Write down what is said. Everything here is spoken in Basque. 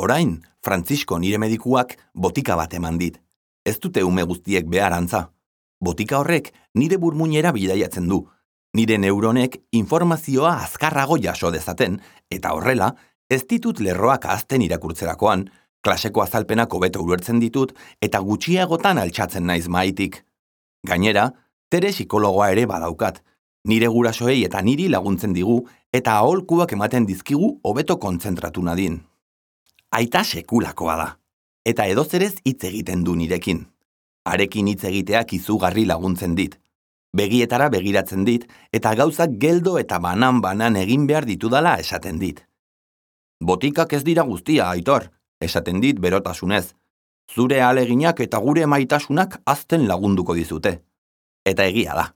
Orain, Frantzisko nire medikuak botika bat eman dit. Ez dute ume guztiek behar antza. Botika horrek nire burmuinera bidaiatzen du. Nire neuronek informazioa azkarrago jaso dezaten, eta horrela, ez ditut lerroak ahazten irakurtzerakoan, klaseko azalpenak hobeto ulertzen ditut, eta gutxiagotan altxatzen naiz mahaitik. Gainera, Tere psikologoa ere badaukat. Nire gurasoei eta niri laguntzen digu, eta aholkuak ematen dizkigu hobeto kontzentratu nadin. Aita sekulakoa da, eta edozerez hitz egiten du nirekin. Harekin hitz egiteak izugarri laguntzen dit. Begietara begiratzen dit, eta gauzak geldo eta banan-banan egin behar ditudala esaten dit. Botikak ez dira guztia, Aitor, esaten dit berotasunez. Zure ahaleginak eta gure maitasunak hazten lagunduko dizute. Eta egia da.